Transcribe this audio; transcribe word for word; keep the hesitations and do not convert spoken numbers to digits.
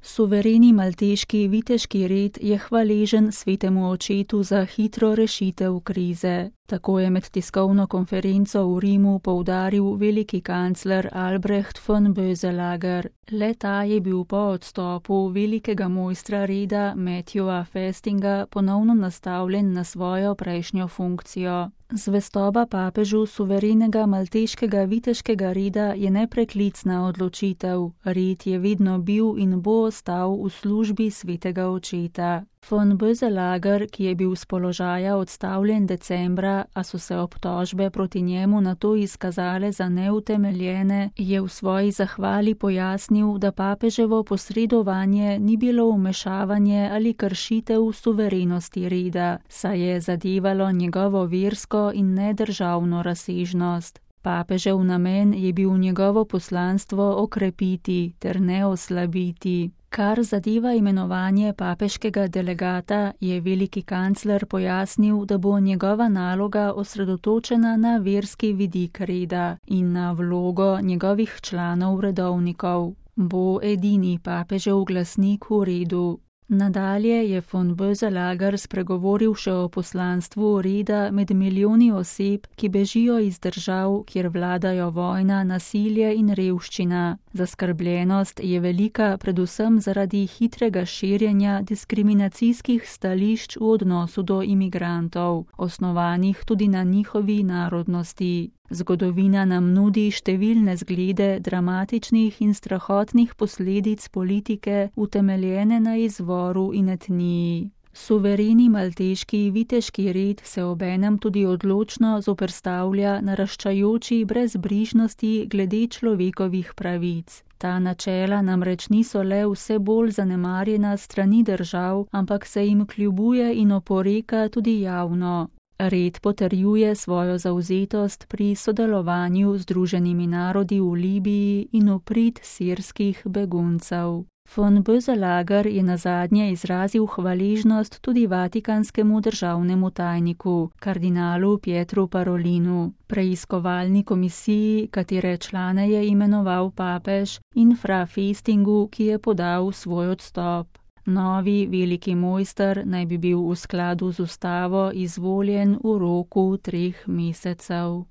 Suvereni malteški viteški red je hvaležen svetemu očetu za hitro rešitev krize. Tako je med tiskovno konferenco v Rimu poudaril veliki kancler Albrecht von Böselager. Le ta je bil po odstopu velikega mojstra reda Matthewa Festinga ponovno nastavljen na svojo prejšnjo funkcijo. Zvestoba papežu suverenega malteškega viteškega reda je nepreklicna odločitev. Red je vedno bil in bo ostal v službi svetega očeta. Von Böselager, ki je bil s položaja odstavljen decembra, a so se obtožbe proti njemu nato izkazale za neutemeljene, je v svoji zahvali pojasnil, da papeževo posredovanje ni bilo vmešavanje ali kršitev suverenosti reda, saj je zadevalo njegovo versko in nedržavno razsežnost. Papežev namen je bil njegovo poslanstvo okrepiti ter ne oslabiti. Kar zadeva imenovanje papeškega delegata, je veliki kancler pojasnil, da bo njegova naloga osredotočena na verski vidik reda in na vlogo njegovih članov redovnikov. Bo edini papežev glasnik v redu. Nadalje je von Böselager spregovoril še o poslanstvu reda med milijoni oseb, ki bežijo iz držav, kjer vladajo vojna, nasilje in revščina. Zaskrbljenost je velika predvsem zaradi hitrega širjenja diskriminacijskih stališč v odnosu do imigrantov, osnovanih tudi na njihovi narodnosti. Zgodovina nam nudi številne zglede dramatičnih in strahotnih posledic politike, utemeljene na izvoru in etniji. Suvereni malteški viteški red se obenem tudi odločno zoperstavlja naraščajoči brezbrižnosti glede človekovih pravic. Ta načela namreč niso le vse bolj zanemarjena strani držav, ampak se jim kljubuje in oporeka tudi javno. Red potrjuje svojo zavzetost pri sodelovanju z Združenimi narodi v Libiji in v prid sirskih beguncev. Von Böselager je nazadnje izrazil hvaležnost tudi vatikanskemu državnemu tajniku, kardinalu Pietru Parolinu, preiskovalni komisiji, katere člane je imenoval papež, in fra Festingu, ki je podal svoj odstop. Novi veliki mojster naj bi bil v skladu z ustavo izvoljen v roku treh mesecev.